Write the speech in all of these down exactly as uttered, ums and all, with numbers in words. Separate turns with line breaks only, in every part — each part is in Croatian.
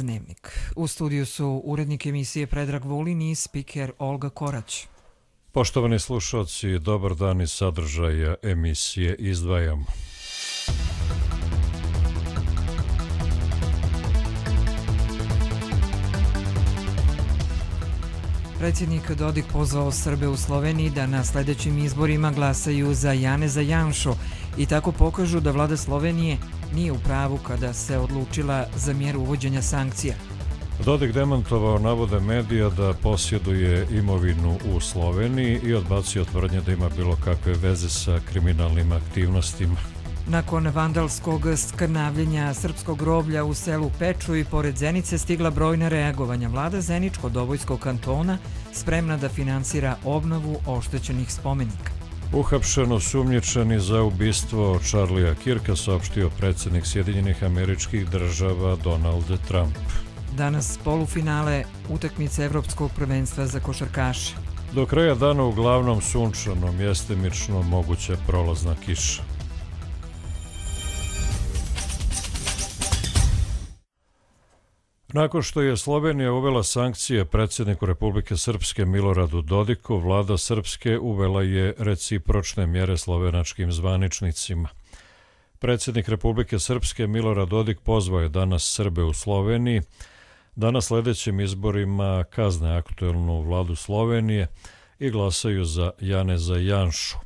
Dnevnik. U studiju su urednik emisije Predrag Vulin i spiker Olga Korać.
Poštovani slušalci, dobar dan iz sadržaja emisije izdvajamo.
Predsjednik Dodik pozvao Srbe u Sloveniji da na sljedećim izborima glasaju za Janeza Janšu i tako pokažu da vlada Slovenije nije u pravu kada se odlučila za mjeru uvođenja sankcija.
Dodik demantovao navode medija da posjeduje imovinu u Sloveniji i odbacio tvrdnje da ima bilo kakve veze sa kriminalnim aktivnostima.
Nakon vandalskog skrnavljenja srpskog groblja u selu Peču i pored Zenice stigla brojna reagovanja. Vlada Zeničko-Dobojskog kantona spremna da finansira obnovu oštećenih spomenika.
Uhapšeno sumnjičeni za ubistvo Charlija Kirka, saopštio predsjednik Sjedinjenih Američkih Država Donald Trump.
Danas polufinale utakmice Evropskog prvenstva za košarkaše.
Do kraja dana uglavnom sunčano, mjestimično moguća prolazna kiša. Nakon što je Slovenija uvela sankcije predsjedniku Republike Srpske Miloradu Dodiku, vlada Srpske uvela je recipročne mjere slovenačkim zvaničnicima. Predsjednik Republike Srpske Milorad Dodik pozvao je danas Srbe u Sloveniji da na sljedećim izborima kazne aktuelnu vladu Slovenije i glasaju za Janeza Janšu,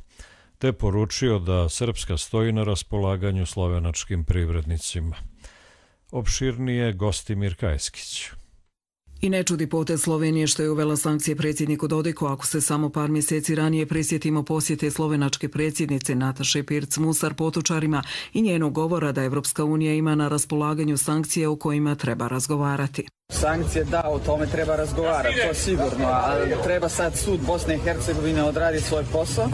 te poručio da Srpska stoji na raspolaganju slovenačkim privrednicima. Opširnije Gostimir Kajskić.
I ne čudi potez Slovenije što je uvela sankcije predsjedniku Dodiku, ako se samo par mjeseci ranije prisjetimo posjete slovenačke predsjednice Nataše Pirc-Musar potučarima i njenog govora da Evropska unija ima na raspolaganju sankcije o kojima treba razgovarati.
Sankcije da, o tome treba razgovarati, to sigurno, ali treba sad sud Bosne i Hercegovine odraditi svoj posao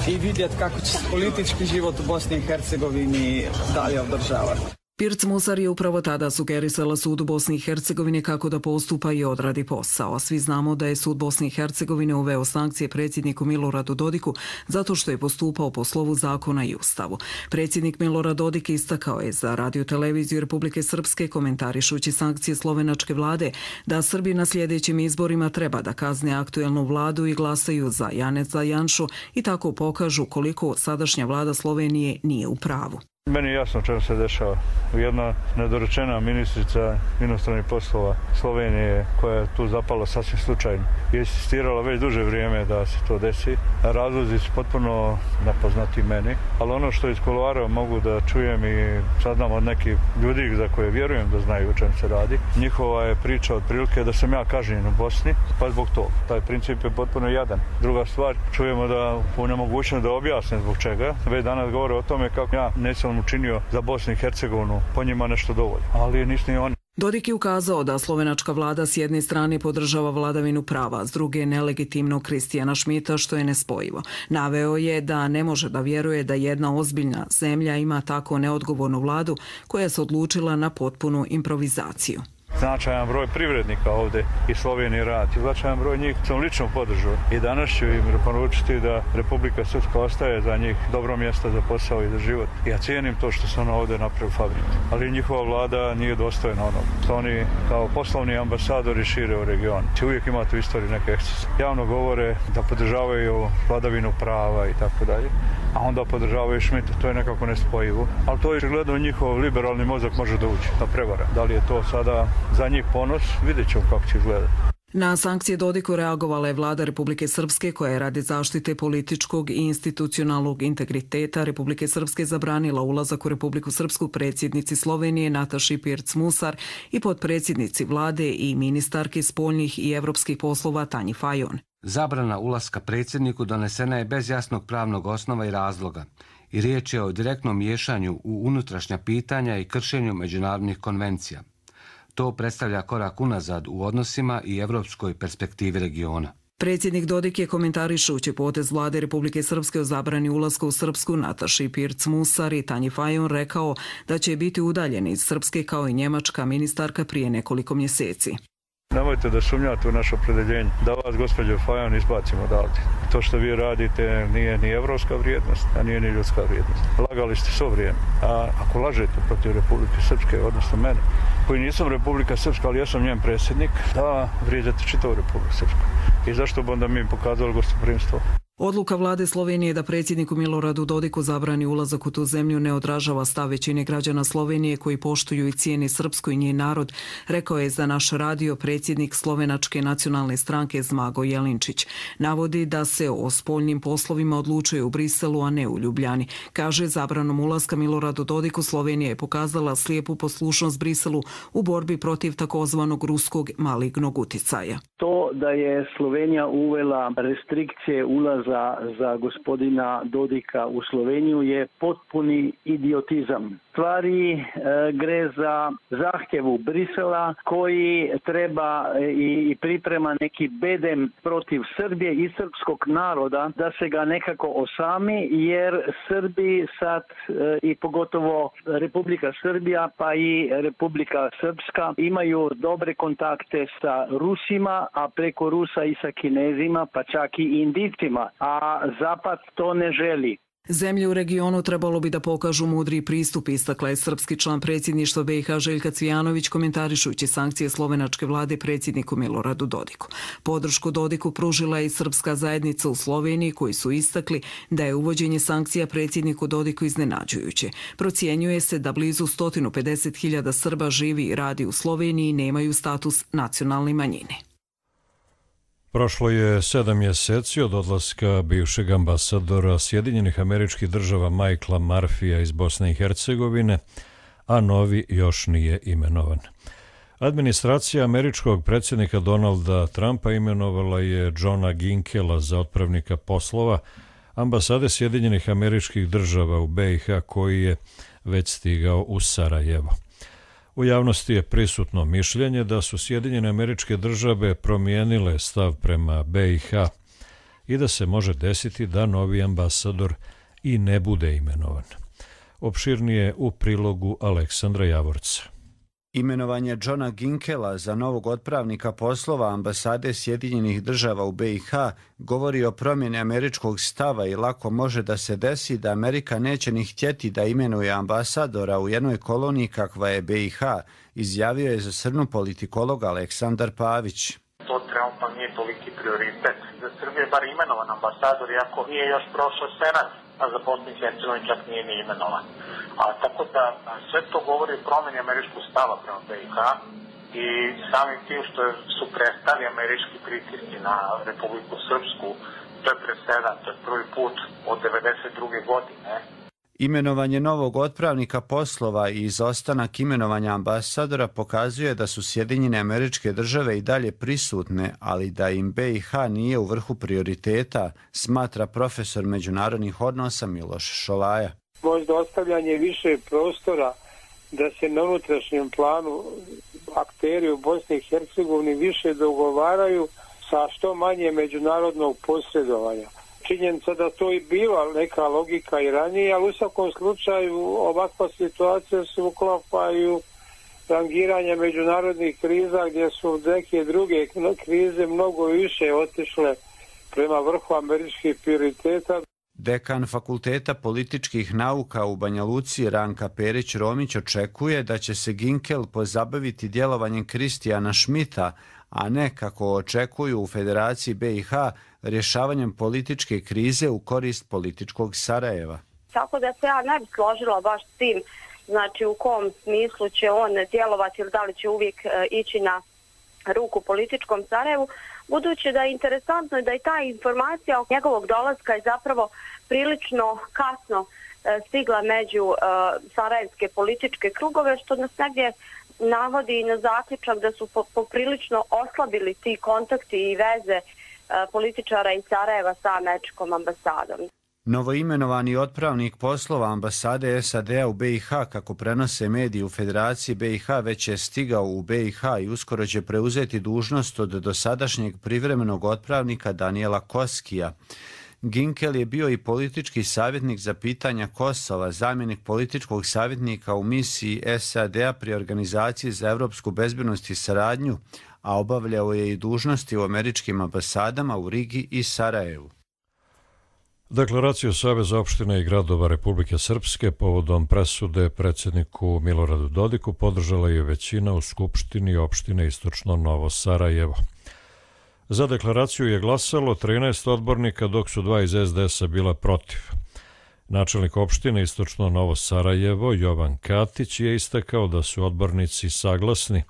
i vidjeti kako će se politički život u Bosni i Hercegovini dalje održavati.
Pirc-Musar je upravo tada sugerisala sudu Bosne i Hercegovine kako da postupa i odradi posao. A svi znamo da je sud Bosne i Hercegovine uveo sankcije predsjedniku Miloradu Dodiku zato što je postupao po slovu zakona i ustavu. Predsjednik Milorad Dodik istakao je za radio-televiziju Republike Srpske, komentarišući sankcije slovenačke vlade, da Srbi na sljedećim izborima treba da kazne aktuelnu vladu i glasaju za Janeza Janšu i tako pokažu koliko sadašnja vlada Slovenije nije u pravu.
Meni je jasno čemu se dešava. Jedna nedorečena ministrica inostranih poslova Slovenije, koja je tu zapala sasvim slučajno, je insistirala već duže vrijeme da se to desi. Razlozi su potpuno nepoznati meni, ali ono što iz kuloara mogu da čujem i saznam od nekih ljudi za koje vjerujem da znaju o čem se radi. Njihova je priča otprilike da sam ja kažnjen u Bosni, pa zbog toga. Taj princip je potpuno jadan. Druga stvar, čujemo da u nemogućnosti da objasne zbog čega. Već danas govore o tome kako ja nisam učinio za Bosnu i Hercegovinu, po njima nešto dovoljno, ali nisu ni oni.
Dodik je ukazao da slovenačka vlada s jedne strane podržava vladavinu prava, s druge nelegitimnog Kristijana Šmita, što je nespojivo. Naveo je da ne može da vjeruje da jedna ozbiljna zemlja ima tako neodgovornu vladu koja se odlučila na potpunu improvizaciju.
Značajan broj privrednika ovdje i Slovenije radi. Značajan broj njih sam lično podržao i danas ću im poručiti da Republika Srpska ostaje za njih dobro mjesto za posao i za život. Ja cijenim to što su ono ovdje napravili fabriku, ali njihova vlada nije dostojna onog. To oni kao poslovni ambasadori šire u regionu. Uvijek imate u istoriji neke ekscese. Javno govore da podržavaju vladavinu prava i tako dalje, a onda podržavaju Šmita. To je nekako nespojivo, ali to je gledano njihov liberalni mozak može da uđe, da prevara. Da li je to sada za njih ponos, vidjet ćemo kako će izgledati.
Na sankcije Dodiku reagovala je vlada Republike Srpske, koja je radi zaštite političkog i institucionalnog integriteta Republike Srpske zabranila ulazak u Republiku Srpsku predsjednici Slovenije Nataši Pirc-Musar i potpredsjednici vlade i ministarki spoljnih i evropskih poslova Tanji Fajon.
Zabrana ulaska predsjedniku donesena je bez jasnog pravnog osnova i razloga i riječ je o direktnom miješanju u unutrašnja pitanja i kršenju međunarodnih konvencija. To predstavlja korak unazad u odnosima i evropskoj perspektivi regiona.
Predsjednik Dodik je komentarišući potez vlade Republike Srpske o zabrani ulaska u Srpsku Nataši Pirc-Musar i Tanji Fajon rekao da će biti udaljeni iz Srpske kao i njemačka ministarka prije nekoliko mjeseci.
Nemojte da sumnjate u naše opredeljenje, da vas, gospođo Fajon, izbacimo odavde. To što vi radite nije ni evropska vrijednost, a nije ni ljudska vrijednost. Lagali ste svo vrijeme, a ako lažete protiv Republike Srpske, odnosno mene, koji nisam Republika Srpska, ali ja sam njen predsjednik, da vrijeđate čitavu Republiku Srpsku. I zašto bi onda mi pokazali gostoprimstvo?
Odluka vlade Slovenije da predsjedniku Miloradu Dodiku zabrani ulazak u tu zemlju ne odražava stav većine građana Slovenije koji poštuju i cijene srpsko i njen narod, rekao je za naš radio predsjednik Slovenačke nacionalne stranke Zmago Jelinčić. Navodi da se o spoljnim poslovima odlučuje u Briselu, a ne u Ljubljani. Kaže, zabranom ulaska Miloradu Dodiku Slovenija je pokazala slijepu poslušnost Briselu u borbi protiv takozvanog ruskog malignog uticaja.
To da je Slovenija uvela restrikcije ulaza Za, za gospodina Dodika u Sloveniju je potpuni idiotizam. Stvari e, gre za zahtjevu Brisela koji treba i, i priprema neki bedem protiv Srbije i srpskog naroda da se ga nekako osami, jer Srbi sad e, i pogotovo Republika Srbija pa i Republika Srpska imaju dobre kontakte sa Rusima, a preko Rusa i sa Kinezima, pa čak i Indijcima, a Zapad to ne želi.
Zemlje u regionu trebalo bi da pokažu mudri pristup, istakla je srpski član predsjedništva B i H Željka Cvijanović komentarišući sankcije slovenačke vlade predsjedniku Miloradu Dodiku. Podršku Dodiku pružila je i srpska zajednica u Sloveniji koji su istakli da je uvođenje sankcija predsjedniku Dodiku iznenađujuće. Procjenjuje se da blizu sto pedeset hiljada Srba živi i radi u Sloveniji i nemaju status nacionalne manjine.
Prošlo je sedam mjeseci od odlaska bivšeg ambasadora Sjedinjenih Američkih Država Michaela Murphyja iz Bosne i Hercegovine, a novi još nije imenovan. Administracija američkog predsjednika Donalda Trumpa imenovala je Johna Ginkela za otpravnika poslova ambasade Sjedinjenih Američkih Država u B i H koji je već stigao u Sarajevo. U javnosti je prisutno mišljenje da su Sjedinjene Američke Države promijenile stav prema B i H i da se može desiti da novi ambasador i ne bude imenovan. Opširnije u prilogu Aleksandra Javorca.
Imenovanje Johna Ginkela za novog otpravnika poslova ambasade Sjedinjenih Država u B i H govori o promjeni američkog stava i lako može da se desi da Amerika neće ni htjeti da imenuje ambasadora u jednoj koloniji kakva je B i H, izjavio je za Srnu politikolog Aleksandar Pavić.
To trenutno nije toliki prioritet. Za Srbije je bar imenovan ambasador, iako nije još prošao Senat, a za Bosnu i Hercegovinu čak nije ni imenovan. A tako da sve to govori o promjeni američkog stava prema B i H i samim tim što su prestali američki pritisci na Republiku Srpsku, to je presedan, to je prvi put od devedeset druge godine.
Imenovanje novog otpravnika poslova i izostanak imenovanja ambasadora pokazuje da su Sjedinjene Američke Države i dalje prisutne, ali da im B i H nije u vrhu prioriteta, smatra profesor međunarodnih odnosa Miloš Šolaja.
Možda ostavljanje više prostora da se na unutrašnjem planu akteri u Bosni i Hercegovini više dogovaraju sa što manje međunarodnog posredovanja. Činjenica da to i bila neka logika i ranije, ali u svakom slučaju ovakva situacija se uklapaju rangiranje međunarodnih kriza gdje su neke druge krize mnogo više otišle prema vrhu američkih prioriteta.
Dekan Fakulteta političkih nauka u Banja Luci Ranka Perić-Romić očekuje da će se Ginkel pozabaviti djelovanjem Kristijana Šmita, a ne, kako očekuju u Federaciji B i H, rješavanjem političke krize u korist političkog Sarajeva.
Tako da se ja ne bi složila baš s tim, znači u kom smislu će on djelovati ili da li će uvijek e, ići na ruku političkom Sarajevu, budući da je interesantno da i ta informacija oko njegovog dolaska je zapravo prilično kasno e, stigla među e, sarajevske političke krugove, što nas negdje navodi na zaključak da su poprilično oslabili ti kontakti i veze e, političara iz Sarajeva sa američkom ambasadom.
Novoimenovani otpravnik poslova ambasade S A D-a u B i H, kako prenose mediji u Federaciji B i H, već je stigao u B i H i uskoro će preuzeti dužnost od dosadašnjeg privremenog otpravnika Daniela Koskija. Ginkel je bio i politički savjetnik za pitanja Kosova, zamjenik političkog savjetnika u misiji S A D-a pri Organizaciji za evropsku bezbednost i saradnju, a obavljao je i dužnosti u američkim ambasadama u Rigi i Sarajevu.
Deklaraciju Saveza opština i gradova Republike Srpske povodom presude predsjedniku Miloradu Dodiku podržala je većina u Skupštini opštine Istočno Novo Sarajevo. Za deklaraciju je glasalo trinaest odbornika, dok su dva iz es de esa bila protiv. Načelnik opštine Istočno Novo Sarajevo, Jovan Katić, je istakao da su odbornici saglasni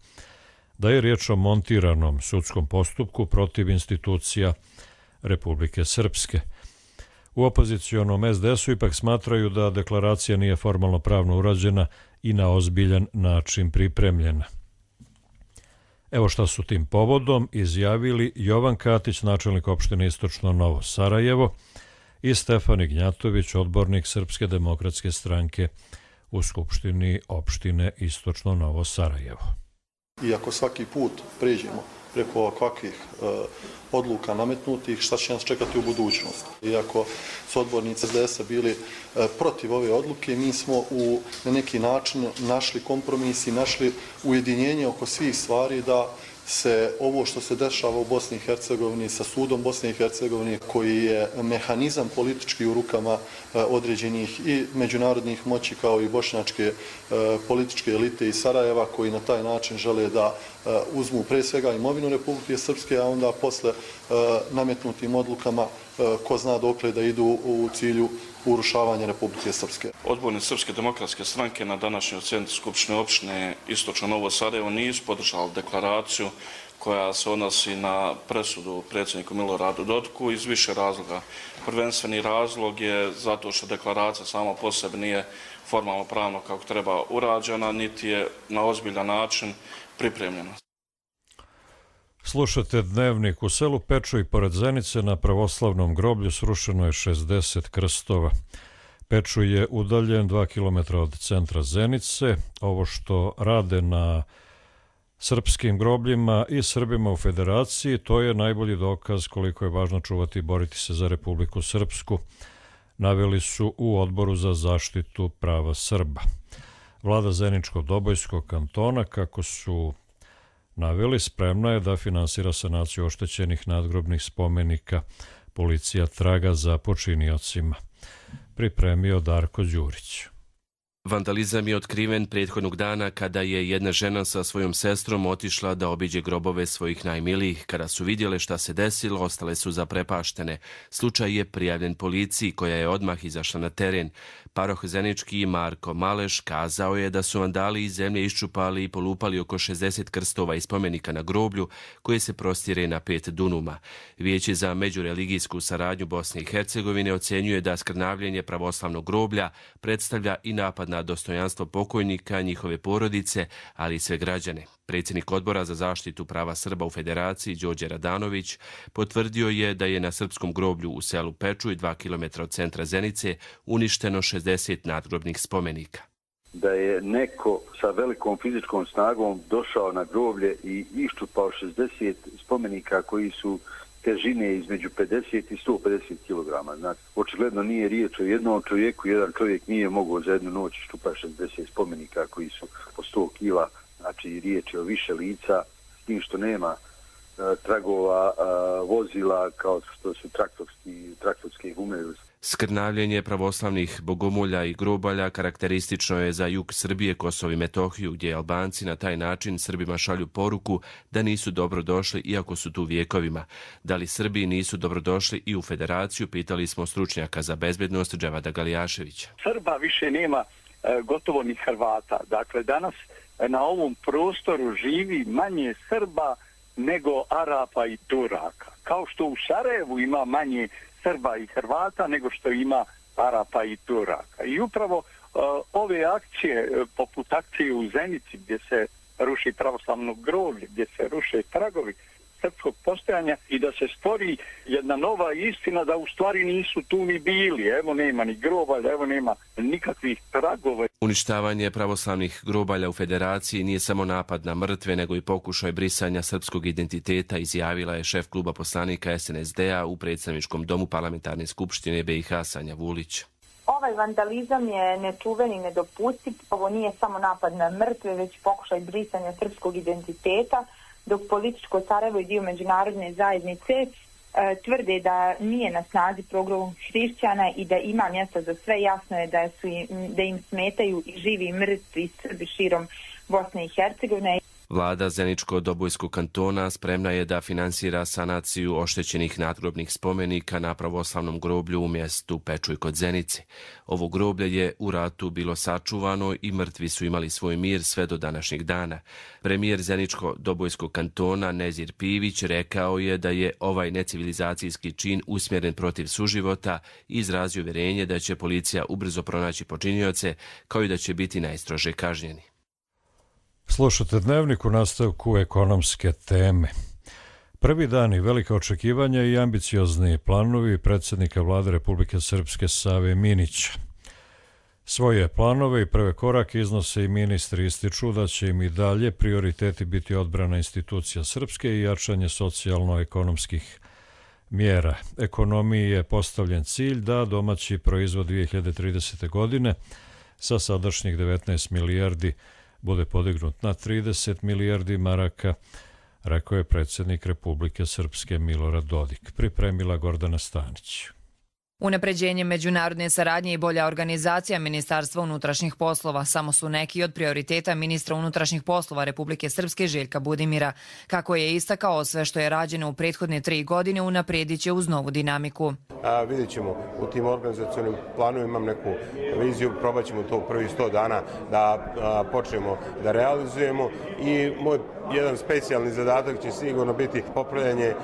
da je riječ o montiranom sudskom postupku protiv institucija Republike Srpske. U opozicionom es de esu ipak smatraju da deklaracija nije formalno pravno urađena i na ozbiljan način pripremljena. Evo šta su tim povodom izjavili Jovan Katić, načelnik opštine Istočno Novo Sarajevo, i Stefan Ignjatović, odbornik Srpske demokratske stranke u Skupštini opštine Istočno Novo Sarajevo.
Iako svaki put pređemo preko ovakvih e, odluka nametnutih, šta će nas čekati u budućnosti. Iako su odbornici es de esa bili e, protiv ove odluke, mi smo u, na neki način našli kompromis i našli ujedinjenje oko svih stvari da se ovo što se dešava u Bosni i Hercegovini sa sudom Bosne i Hercegovine, koji je mehanizam politički u rukama e, određenih i međunarodnih moći kao i bošnjačke e, političke elite iz Sarajeva, koji na taj način žele da e, uzmu pre svega imovinu Republike Srpske, a onda posle e, nametnutim odlukama e, ko zna dokle da idu u cilju urušavanja Republike Srpske.
Odbornici Srpske demokratske stranke na današnjoj sjednici Skupštine opštine Istočno Novo Sarajevo nisu podržali deklaraciju koja se odnosi na presudu predsjedniku Miloradu Dodiku iz više razloga. Prvenstveni razlog je zato što deklaracija sama po sebi nije formalno pravno kako treba urađena, niti je na ozbiljan način pripremljena.
Slušate Dnevnik. U selu Pečuj pored Zenice na pravoslavnom groblju srušeno je šezdeset krstova. Pečuj je udaljen dva kilometra od centra Zenice. Ovo što rade na srpskim grobljima i Srbima u Federaciji, to je najbolji dokaz koliko je važno čuvati i boriti se za Republiku Srpsku, naveli su u Odboru za zaštitu prava Srba. Vlada Zeničko-Dobojskog kantona, kako su naveli, spremna je da finansira sanaciju oštećenih nadgrobnih spomenika. Policija traga za počiniocima. Pripremio Darko Đurić.
Vandalizam je otkriven prethodnog dana kada je jedna žena sa svojom sestrom otišla da obiđe grobove svojih najmilijih. Kada su vidjele šta se desilo, ostale su zaprepaštene. Slučaj je prijavljen policiji koja je odmah izašla na teren. Paroh Zenički Marko Maleš kazao je da su vandali iz zemlje iščupali i polupali oko šezdeset krstova i spomenika na groblju koje se prostire na pet dunuma. Vijeće za međureligijsku saradnju Bosne i Hercegovine ocjenjuje da skrnavljenje pravoslavnog groblja predstavlja i napad na dostojanstvo pokojnika, njihove porodice, ali i sve građane. Predsjednik Odbora za zaštitu prava Srba u Federaciji, Đorđe Radanović, potvrdio je da je na srpskom groblju u selu Pečuj, dva kilometra od centra Zenice, uništeno šezdeset nadgrobnih spomenika.
Da je neko sa velikom fizičkom snagom došao na groblje i iščupao šezdeset spomenika koji su težine između pedeset i sto pedeset kilograma. Znači, očigledno nije riječ o jednom čovjeku, jedan čovjek nije mogao za jednu noć iščupati šezdeset spomenika koji su po sto kila. Znači, riječ je o više lica, s tim što nema e, tragova e, vozila kao što su traktorski, traktorske gume.
Skrnavljenje pravoslavnih bogomolja i grobalja karakteristično je za jug Srbije, Kosovo i Metohiju, gdje Albanci na taj način Srbima šalju poruku da nisu dobrodošli iako su tu vjekovima. Da li Srbi nisu dobrodošli i u Federaciju, pitali smo stručnjaka za bezbednost Dževada Galijaševića.
Srba više nema e, gotovo ni Hrvata. Dakle, danas na ovom prostoru živi manje Srba nego Arapa i Turaka. Kao što u Sarajevu ima manje Srba i Hrvata nego što ima Arapa i Turaka. I upravo uh, ove akcije, uh, poput akcije u Zenici, gdje se ruši pravoslavno groblje, gdje se ruše tragovi srpskog postojanja i da se stvori jedna nova istina da u stvari nisu tu ni bili. Evo nema ni grobalja, evo nema nikakvih tragova.
Uništavanje pravoslavnih grobalja u Federaciji nije samo napad na mrtve, nego i pokušaj brisanja srpskog identiteta, izjavila je šef kluba poslanika es en es de a u predstavničkom domu Parlamentarne skupštine be i ha Sanja Vulić.
Ovaj vandalizam je nečuven i nedopustiv. Ovo nije samo napad na mrtve, već pokušaj brisanja srpskog identiteta, dok političko Sarajevo i dio međunarodne zajednice tvrde da nije na snazi program hrišćana i da ima mjesta za sve. Jasno je da, su im, da im smetaju i živi i mrtvi Srbi širom Bosne i Hercegovine.
Vlada Zeničko-Dobojskog kantona spremna je da finansira sanaciju oštećenih nadgrobnih spomenika na pravoslavnom groblju u mjestu Pečuj kod Zenice. Ovo groblje je u ratu bilo sačuvano i mrtvi su imali svoj mir sve do današnjeg dana. Premijer Zeničko-Dobojskog kantona Nezir Pivić rekao je da je ovaj necivilizacijski čin usmjeren protiv suživota i izrazio uvjerenje da će policija ubrzo pronaći počinioce, kao i da će biti najstrože kažnjeni.
Slušate Dnevnik u nastavku ekonomske teme. Prvi dani, velika očekivanja i ambiciozni planovi predsjednika vlade Republike Srpske Save Minića. Svoje planove i prve korake iznose i ministri, ističu da će im i dalje prioriteti biti odbrana institucija Srpske i jačanje socijalno-ekonomskih mjera. Ekonomiji je postavljen cilj da domaći proizvod dvije hiljade tridesete. godine sa sadašnjih devetnaest milijardi bude podignut na trideset milijardi maraka, rekao je predsjednik Republike Srpske Milorad Dodik. Pripremila Gordana Stanić.
Unapređenje međunarodne saradnje i bolja organizacija Ministarstva unutrašnjih poslova samo su neki od prioriteta ministra unutrašnjih poslova Republike Srpske Željka Budimira. Kako je istakao, sve što je rađeno u prethodne tri godine unaprijedit će uz novu dinamiku.
A, vidjet ćemo u tim organizacionim planovima, imam neku viziju, probat ćemo to u prvih sto dana da a, počnemo da realizujemo i moj jedan specijalni zadatak će sigurno biti popravljanje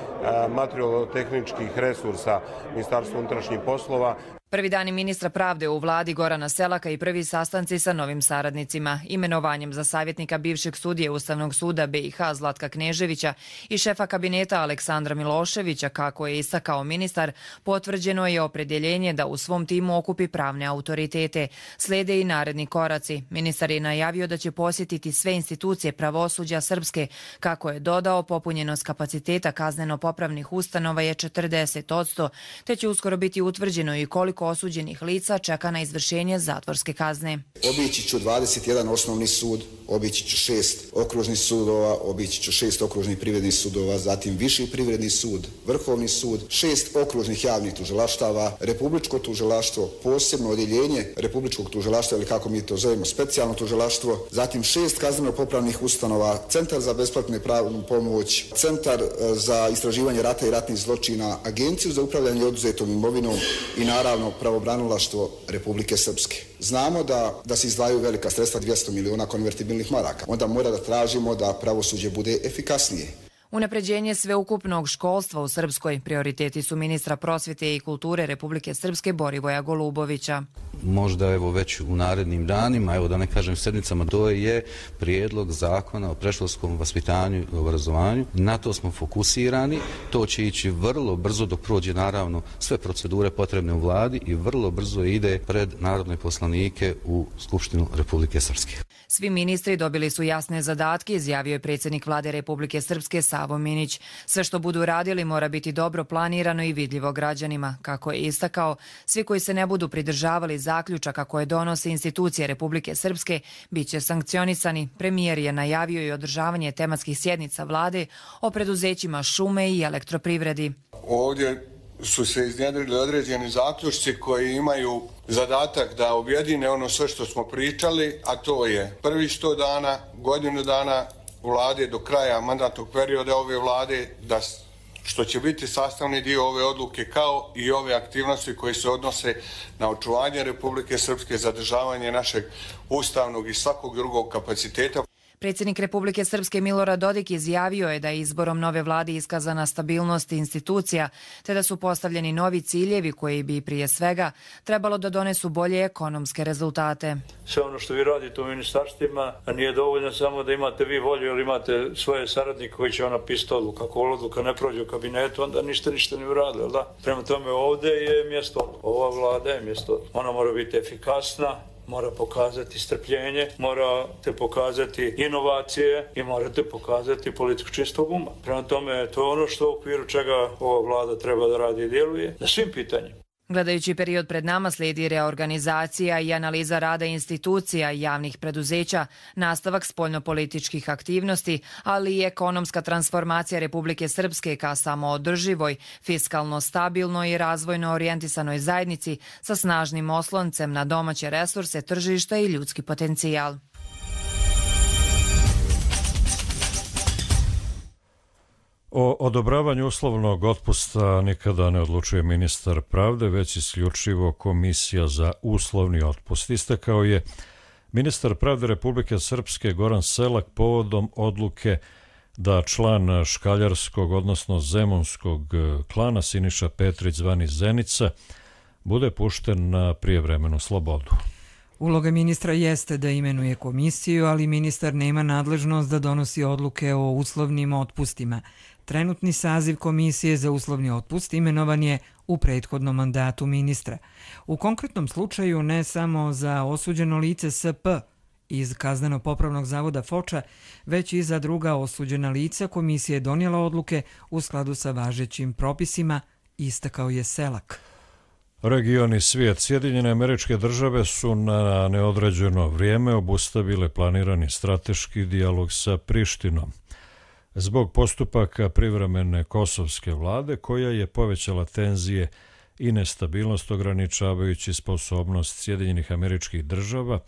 materijalno-tehničkih resursa Ministarstva unutrašnjih poslova.
Prvi dani ministra pravde u vladi Gorana Selaka i prvi sastanci sa novim saradnicima. Imenovanjem za savjetnika bivšeg sudije Ustavnog suda B i H Zlatka Kneževića i šefa kabineta Aleksandra Miloševića, kako je istakao ministar, potvrđeno je opredjeljenje da u svom timu okupi pravne autoritete. Slede i naredni koraci. Ministar je najavio da će posjetiti sve institucije pravosuđa Srpske. Kako je dodao, popunjenost kapaciteta kazneno-popravnih ustanova je četrdeset posto, te će uskoro biti utvrđeno i koliko osuđenih lica čeka na izvršenje zatvorske kazne.
Obići ću dvadeset jedan osnovni sud, obići ću šest okružnih sudova, obići ću šest okružnih privrednih sudova, zatim Viši privredni sud, Vrhovni sud, šest okružnih javnih tužilaštava, Republičko tužilaštvo, posebno odjeljenje Republičkog tužilaštva ili kako mi to zovemo specijalno tužilaštvo, zatim šest kazneno-popravnih ustanova, Centar za besplatnu pravnu pomoć, Centar za istraživanje rata i ratnih zločina, Agenciju za upravljanje oduzetom imovinom i naravno pravobranilaštvo Republike Srpske. Znamo da, da se izdvajaju velika sredstva, dvjesto miliona konvertibilnih maraka. Onda mora da tražimo da pravosuđe bude efikasnije.
Unapređenje sveukupnog školstva u Srpskoj prioriteti su ministra prosvjete i kulture Republike Srpske Borivoja Golubovića.
Možda evo već u narednim danima, evo da ne kažem sedmicama, to je prijedlog zakona o predškolskom vaspitanju i obrazovanju. Na to smo fokusirani, to će ići vrlo brzo dok prođe naravno sve procedure potrebne u vladi i vrlo brzo ide pred narodne poslanike u Skupštinu Republike Srpske.
Svi ministri dobili su jasne zadatke, izjavio je predsjednik vlade Republike Srpske Savo Minić. Sve što budu radili mora biti dobro planirano i vidljivo građanima. Kako je istakao, svi koji se ne budu pridržavali zaključaka koje donose institucije Republike Srpske bit će sankcionisani. Premijer je najavio i održavanje tematskih sjednica vlade o preduzećima šume i elektroprivredi.
Ovdje su se iznjedrili određeni zaključci koji imaju zadatak da objedine ono sve što smo pričali, a to je prvi sto dana, godinu dana vlade do kraja mandatnog perioda ove vlade, da što će biti sastavni dio ove odluke kao i ove aktivnosti koje se odnose na očuvanje Republike Srpske, zadržavanje našeg ustavnog i svakog drugog kapaciteta.
Predsjednik Republike Srpske Milorad Dodik izjavio je da je izborom nove vlade iskazana stabilnost institucija, te da su postavljeni novi ciljevi koji bi prije svega trebalo da donesu bolje ekonomske rezultate.
Sve ono što vi radite u ministarstvima nije dovoljno samo da imate vi volju ili imate svoje saradnike koji će ona pisati odluku. Ako odluka ne prođe u kabinetu, onda ništa ništa ne uradili, da? Prema tome ovdje je mjesto, ova vlada je mjesto. Ona mora biti efikasna, mora pokazati strpljenje, morate pokazati inovacije i morate pokazati politiku čistog uma. Prema tome, to je ono što u okviru čega ova vlada treba da radi i djeluje na svim pitanjima.
Gledajući period pred nama slijedi reorganizacija i analiza rada institucija i javnih preduzeća, nastavak spoljnopolitičkih aktivnosti, ali i ekonomska transformacija Republike Srpske ka samoodrživoj, fiskalno stabilnoj i razvojno orijentisanoj zajednici sa snažnim osloncem na domaće resurse, tržišta i ljudski potencijal.
O odobravanju uslovnog otpusta nikada ne odlučuje ministar pravde, već isključivo Komisija za uslovni otpust. Istakao je ministar pravde Republike Srpske Goran Selak povodom odluke da član škaljarskog, odnosno zemunskog klana Siniša Petrić zvani Zenica bude pušten na prijevremenu slobodu.
Uloga ministra jeste da imenuje komisiju, ali ministar nema nadležnost da donosi odluke o uslovnim otpustima. Trenutni saziv Komisije za uslovni otpust imenovan je u prethodnom mandatu ministra. U konkretnom slučaju ne samo za osuđeno lice S P iz Kazneno-popravnog zavoda Foča, već i za druga osuđena lica komisija je donijela odluke u skladu sa važećim propisima, istakao je Selak.
Region i svijet. Sjedinjene Američke Države su na neodređeno vrijeme obustavile planirani strateški dijalog sa Prištinom zbog postupaka privremene kosovske vlade koja je povećala tenzije i nestabilnost ograničavajući sposobnost Sjedinjenih Američkih Država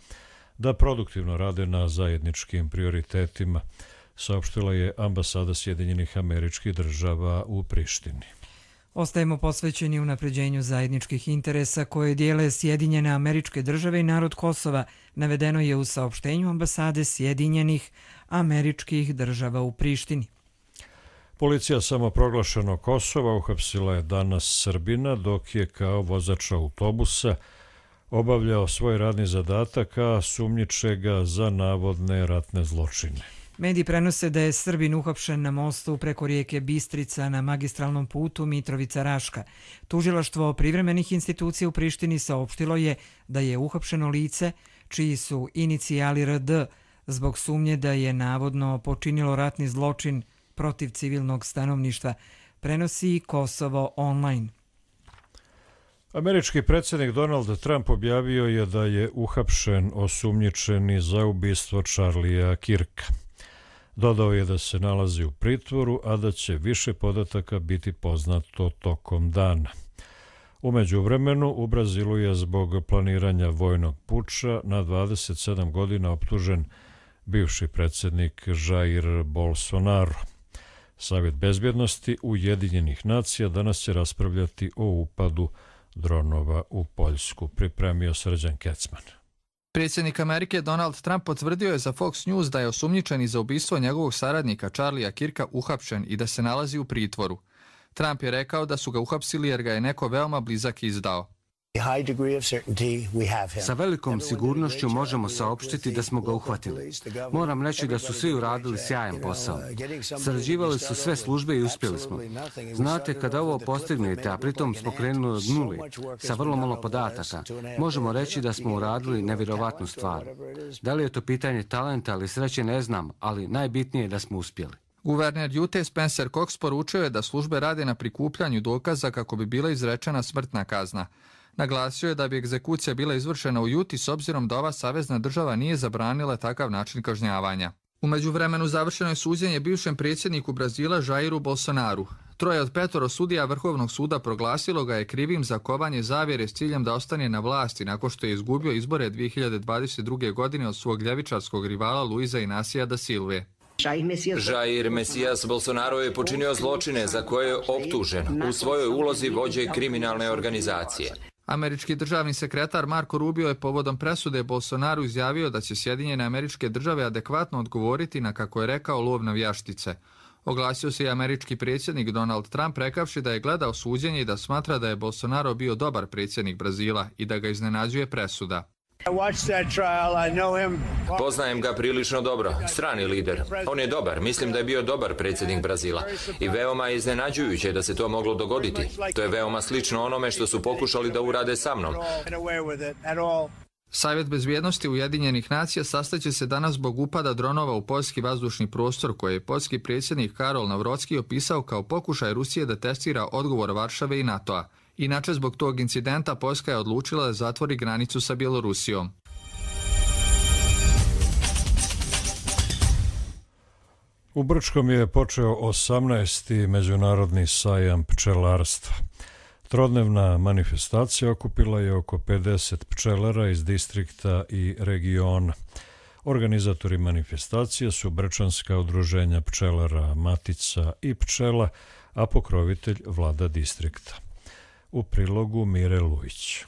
da produktivno rade na zajedničkim prioritetima, saopštila je ambasada Sjedinjenih Američkih Država u Prištini.
Ostajemo posvećeni unapređenju zajedničkih interesa koje dijele Sjedinjene Američke Države i narod Kosova, navedeno je u saopštenju ambasade Sjedinjenih Američkih Država u Prištini.
Policija samoproglašenog Kosova uhapsila je danas Srbina dok je kao vozač autobusa obavljao svoj radni zadatak, a sumnjičega za navodne ratne zločine.
Mediji prenose da je Srbin uhapšen na mostu preko rijeke Bistrica na magistralnom putu Mitrovica-Raška. Tužilaštvo privremenih institucija u Prištini saopštilo je da je uhapšeno lice čiji su inicijali R D zbog sumnje da je navodno počinilo ratni zločin protiv civilnog stanovništva, prenosi Kosovo online.
Američki predsjednik Donald Trump objavio je da je uhapšen osumnjičeni za ubistvo Charlieja Kirka. Dodao je da se nalazi u pritvoru, a da će više podataka biti poznato tokom dana. U međuvremenu u Brazilu je zbog planiranja vojnog puča na dvadeset sedam godina optužen bivši predsjednik Jair Bolsonaro. Savjet bezbjednosti Ujedinjenih nacija danas će raspravljati o upadu dronova u Poljsku, pripremio Srđan Kecman.
Predsjednik Amerike Donald Trump potvrdio je za Fox News da je osumnjičeni za ubistvo njegovog saradnika Charliea Kirka uhapšen i da se nalazi u pritvoru. Trump je rekao da su ga uhapsili jer ga je neko veoma blizak izdao.
Sa velikom sigurnošću možemo saopštiti da smo ga uhvatili. Moram reći da su svi uradili sjajan posao. Sarađivali su sve službe i uspjeli smo. Znate, kada ovo postignete, a pritom smo krenuli od nuli, sa vrlo malo podataka, možemo reći da smo uradili nevjerovatnu stvar. Da li je to pitanje talenta ili sreće, ne znam, ali najbitnije je da smo uspjeli.
Guverner Ute Spencer Cox poručio je da službe rade na prikupljanju dokaza kako bi bila izrečena smrtna kazna. Naglasio je da bi egzekucija bila izvršena u Juti s obzirom da ova savezna država nije zabranila takav način kažnjavanja. U međuvremenu završeno je suđenje bivšem predsjedniku Brazila Jairu Bolsonaru. Troje od petoro sudija Vrhovnog suda proglasilo ga je krivim za kovanje zavjere s ciljem da ostane na vlasti nakon što je izgubio izbore dvije hiljade dvadeset druge. godine od svog ljevičarskog rivala Luiza Inacija da Silve.
Jair Mesias Bolsonaro je počinio zločine za koje je optužen u svojoj ulozi vođe kriminalne organizacije.
Američki državni sekretar Marco Rubio je povodom presude Bolsonaru izjavio da će Sjedinjene Američke Države adekvatno odgovoriti na, kako je rekao, lov navijaštice. Oglasio se i američki predsjednik Donald Trump rekavši da je gledao suđenje i da smatra da je Bolsonaro bio dobar predsjednik Brazila i da ga iznenađuje presuda.
Poznajem ga prilično dobro, strani lider. On je dobar, mislim da je bio dobar predsjednik Brazila i veoma je iznenađujuće da se to moglo dogoditi. To je veoma slično onome što su pokušali da urade sa mnom.
Savjet bezbjednosti Ujedinjenih nacija sastaće se danas zbog upada dronova u poljski vazdušni prostor koje je poljski predsjednik Karol Navrocki opisao kao pokušaj Rusije da testira odgovor Varšave i NATO-a. Inače, zbog tog incidenta Poljska je odlučila da zatvori granicu sa Bjelorusijom.
U Brčkom je počeo osamnaesti međunarodni sajam pčelarstva. Trodnevna manifestacija okupila je oko pedeset pčelara iz distrikta i regiona. Organizatori manifestacije su brčanska udruženja pčelara Matica i pčela, a pokrovitelj vlada distrikta. U prilogu Mire Lujić.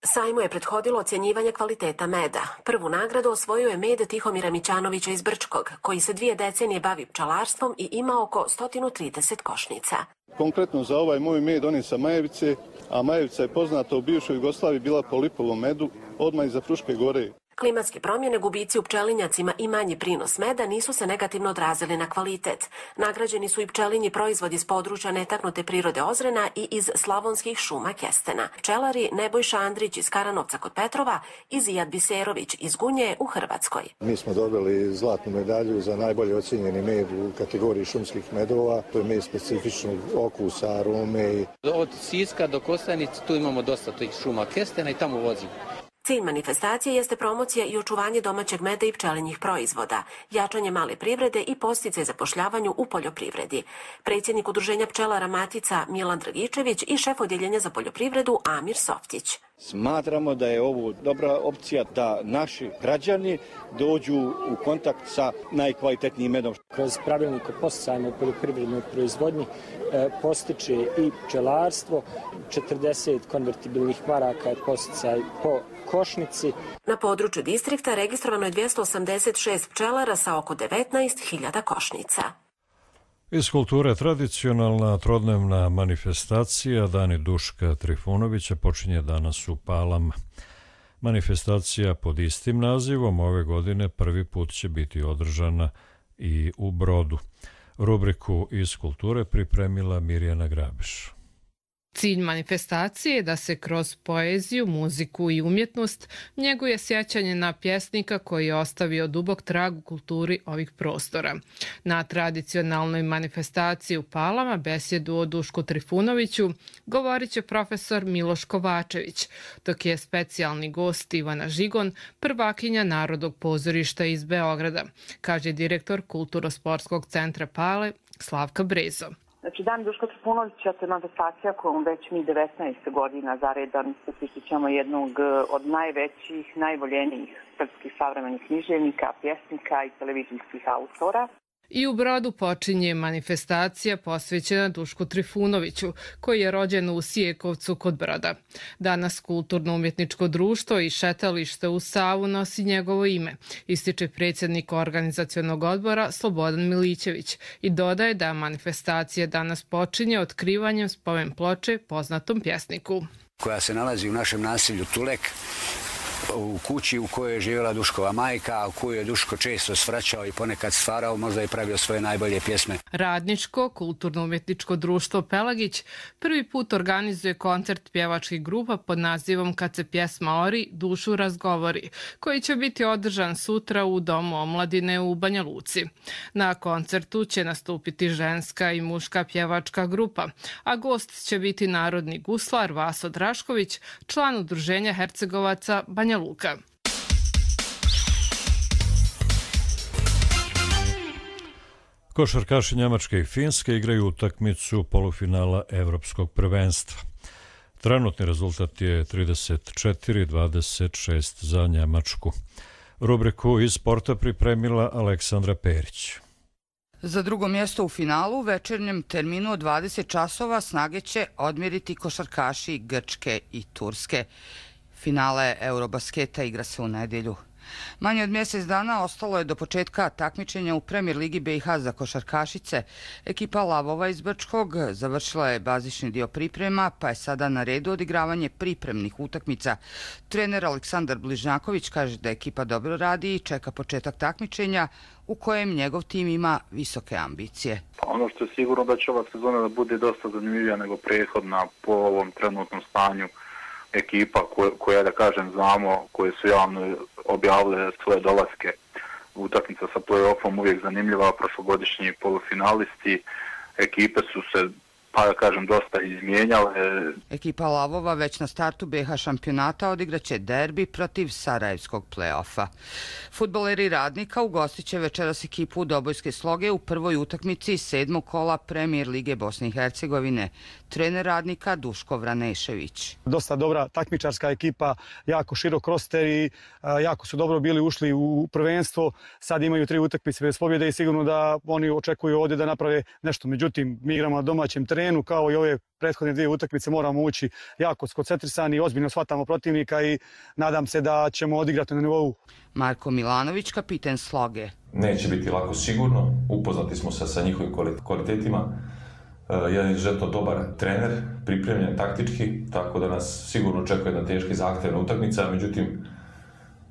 Sajmu je prethodilo ocjenjivanje kvaliteta meda. Prvu nagradu osvojio je med Tihomira Mićanovića iz Brčkog, koji se dvije decenije bavi pčelarstvom i ima oko sto trideset košnica.
Konkretno za ovaj moj med on je sa Majevice, a Majevica je poznata u bivšoj Jugoslaviji bila po lipovom medu, odmah iza Fruške gore.
Klimatske promjene, gubici u pčelinjacima i manji prinos meda nisu se negativno odrazili na kvalitet. Nagrađeni su i pčelinji proizvodi iz područja netaknute prirode Ozrena i iz slavonskih šuma kestena. Pčelari Nebojša Andrić iz Karanovca kod Petrova i Zijad Biserović iz Gunje u Hrvatskoj.
Mi smo dobili zlatnu medalju za najbolje ocijenjeni med u kategoriji šumskih medova. To je med specifičnog okusa, arome.
Od Siska do Kostajnice tu imamo dosta tih šuma kestena i tamo vozimo.
Cilj manifestacije jeste promocija i očuvanje domaćeg meda i pčelinjih proizvoda, jačanje male privrede i podsticaj zapošljavanju u poljoprivredi. Predsjednik udruženja pčelara Matica Milan Dragičević i šef odjeljenja za poljoprivredu Amir Softić.
Smatramo da je ovo dobra opcija da naši građani dođu u kontakt sa najkvalitetnijim medom.
Kroz pravilnik o podsticajima u poljoprivrednoj proizvodnji postiče i pčelarstvo, četrdeset konvertibilnih maraka je podsticaj po košnici.
Na području distrikta registrovano je dvjesto osamdeset šest pčelara sa oko devetnaest hiljada košnica.
Iz kulture tradicionalna trodnevna manifestacija Dani Duška Trifunovića počinje danas u Palama. Manifestacija pod istim nazivom ove godine prvi put će biti održana i u Brodu. Rubriku iz kulture pripremila Mirjana Grabiš.
Cilj manifestacije je da se kroz poeziju, muziku i umjetnost njeguje sjećanje na pjesnika koji je ostavio dubok trag u kulturi ovih prostora. Na tradicionalnoj manifestaciji u Palama besjedu o Dušku Trifunoviću govorit će profesor Miloš Kovačević, dok je specijalni gost Ivana Žigon, prvakinja Narodnog pozorišta iz Beograda, kaže direktor Kulturno-sportskog centra Pale Slavka Brezo.
Znači, Dan Duška Trifunovića, to je manifestacija kojom već mi devetnaest godina zaredan susrećemo jednog od najvećih, najvoljenijih srpskih savremenih književnika, pjesnika i televizijskih autora.
I u Brodu počinje manifestacija posvećena Dušku Trifunoviću, koji je rođen u Sijekovcu kod Broda. Danas Kulturno-umjetničko društvo i šetalište u Savu nosi njegovo ime, ističe predsjednik organizacionog odbora Slobodan Milićević i dodaje da manifestacija danas počinje otkrivanjem spomen ploče poznatom pjesniku.
Koja se nalazi u našem naselju Tulek, u kući u kojoj je živjela Duškova majka, u koju je Duško često svraćao i ponekad stvarao, možda i pravio svoje najbolje pjesme.
Radničko kulturno-umjetničko društvo Pelagić prvi put organizuje koncert pjevačkih grupa pod nazivom Kad se pjesma ori, dušu razgovori, koji će biti održan sutra u Domu omladine u Banja Luci. Na koncertu će nastupiti ženska i muška pjevačka grupa, a gost će biti narodni guslar Vaso Drašković, član udruženja Hercegovaca Banja Luka.
Košarkaši Njemačke i Finske igraju utakmicu polufinala Evropskog prvenstva. Trenutni rezultat je trideset četiri dvadeset šest za Njemačku. Rubriku iz sporta pripremila Aleksandra Perić.
Za drugo mjesto u finalu u večernjem terminu od dvadeset časova snage će odmjeriti košarkaši Grčke i Turske. Finale Eurobasketa igra se u nedjelju. Manje od mjesec dana ostalo je do početka takmičenja u Premier ligi B i H za košarkašice. Ekipa Lavova iz Brčkog završila je bazični dio priprema, pa je sada na redu odigravanje pripremnih utakmica. Trener Aleksandar Bližnjaković kaže da ekipa dobro radi i čeka početak takmičenja u kojem njegov tim ima visoke ambicije.
Ono što je sigurno da će ova sezona da bude dosta zanimljivija nego prethodna po ovom trenutnom stanju ekipa koje, koja, da kažem, znamo, koje su javno objavile svoje dolaske. Utakmica sa play-offom uvijek zanimljiva, prošlogodišnji polufinalisti. Ekipe su se pa da kažem dosta izmijenjale.
Ekipa Lavova već na startu B H šampionata odigraće derbi protiv Sarajevskog play-offa. Fudbaleri Radnika ugostit će večeras ekipu Dobojske Sloge u prvoj utakmici sedmog kola Premijer Lige Bosne i Hercegovine. Trener Radnika Duško Vranešević.
Dosta dobra takmičarska ekipa, jako širok roster i jako su dobro bili ušli u prvenstvo. Sad imaju tri utakmice bez pobjede i sigurno da oni očekuju ovdje da naprave nešto. Međutim, mi igramo na domaćem terenu, kao i ove prethodne dvije utakmice moramo ući jako skoncentrisani, ozbiljno shvatamo protivnika i nadam se da ćemo odigrati na nivou.
Marko Milanović, kapiten Sloge.
Neće biti lako sigurno, upoznati smo se sa njihovim kvalitetima. Jedan izuzetno dobar trener, pripremljen taktički, tako da nas sigurno očekuje jedna teška i zahtjevna utakmica, međutim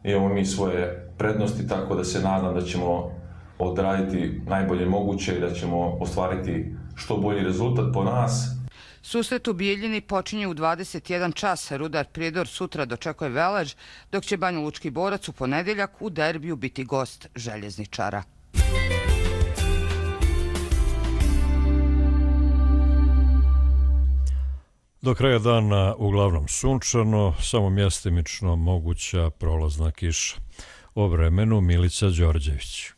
imamo mi svoje prednosti, tako da se nadam da ćemo odraditi najbolje moguće i da ćemo ostvariti što bolji rezultat po nas.
Susret u Bijeljini počinje u dvadeset jedan čas. Rudar Prijedor sutra dočekuje Velež, dok će Banjalučki Borac u ponedjeljak u derbiju biti gost Željezničara.
Do kraja dana uglavnom sunčano, samo mjestimično moguća prolazna kiša. O vremenu Milica Đorđević.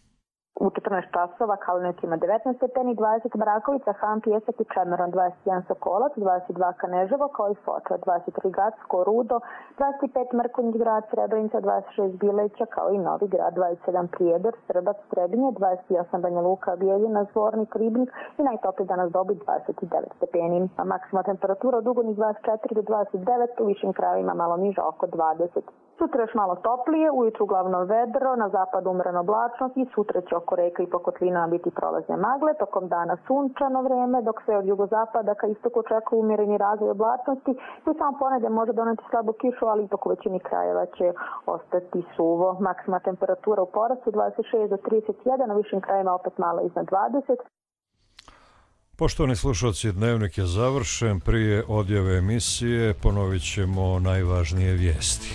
U četrnaest časova Kalenić ima devetnaest stepeni, dvadeset Marakovica, Han, Pijesak i Čemeron, dvadeset jedan Sokolac, dvadeset dva Kaneževo kao i Foča, dvadeset tri Gacko, Rudo, dvadeset pet Mrkonjić grad, Srebrenica, dvadeset šest Bileća kao i Novi grad, dvadeset sedam Prijedor, Srbac, Trebinje, dvadeset osam Banja Luka, Bijeljina, Zvornik, Ribnik i najtopliji danas dobi dvadeset devet stepeni. A maksimalna temperatura od Ugodnih dvadeset četiri do dvadeset devet, u višim krajevima malo niža oko dvadeset. Sutra još malo toplije, ujutru uglavnom vedro, na zapadu umjereno oblačnost i sutra će oko reka i po kotlinama biti prolazne magle, tokom dana sunčano vrijeme, dok se od jugozapada ka istoku očekuje umjereni razvoj oblačnosti i samo ponedje može doneti slabu kišu, ali ipak u većini krajeva će ostati suvo. Maksimalna temperatura u porastu dvadeset šest do trideset jedan, na višim krajevima opet malo iznad dvadeset.
Poštovani slušalci, dnevnik je završen. Prije odjave emisije ponovit ćemo najvažnije vijesti.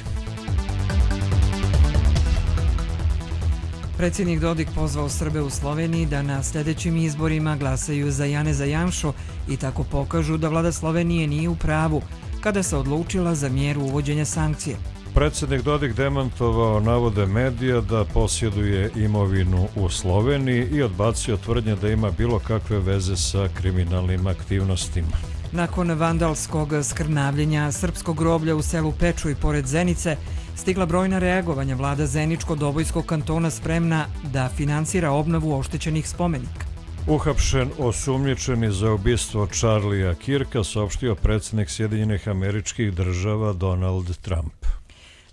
Predsjednik Dodik pozvao Srbe u Sloveniji da na sljedećim izborima glasaju za Janeza Janšu i tako pokažu da vlada Slovenije nije u pravu kada se odlučila za mjeru uvođenja sankcije.
Predsjednik Dodik demantovao navode medija da posjeduje imovinu u Sloveniji i odbacio tvrdnje da ima bilo kakve veze sa kriminalnim aktivnostima.
Nakon vandalskog skrnavljenja srpskog groblja u selu Pečuj pored Zenice, stigla brojna reagovanja. Vlada Zeničko-Dobojskog kantona spremna da finansira obnovu oštećenih spomenika.
Uhapšen osumnjičeni za ubistvo Charlija Kirka, saopštio predsjednik Sjedinjenih Američkih Država Donald Trump.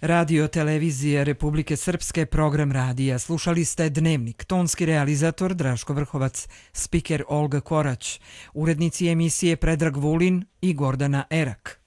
Radio televizije Republike Srpske, program radija. Slušali ste Dnevnik, tonski realizator Draško Vrhovac, spiker Olga Korać, urednici emisije Predrag Vulin i Gordana Erak.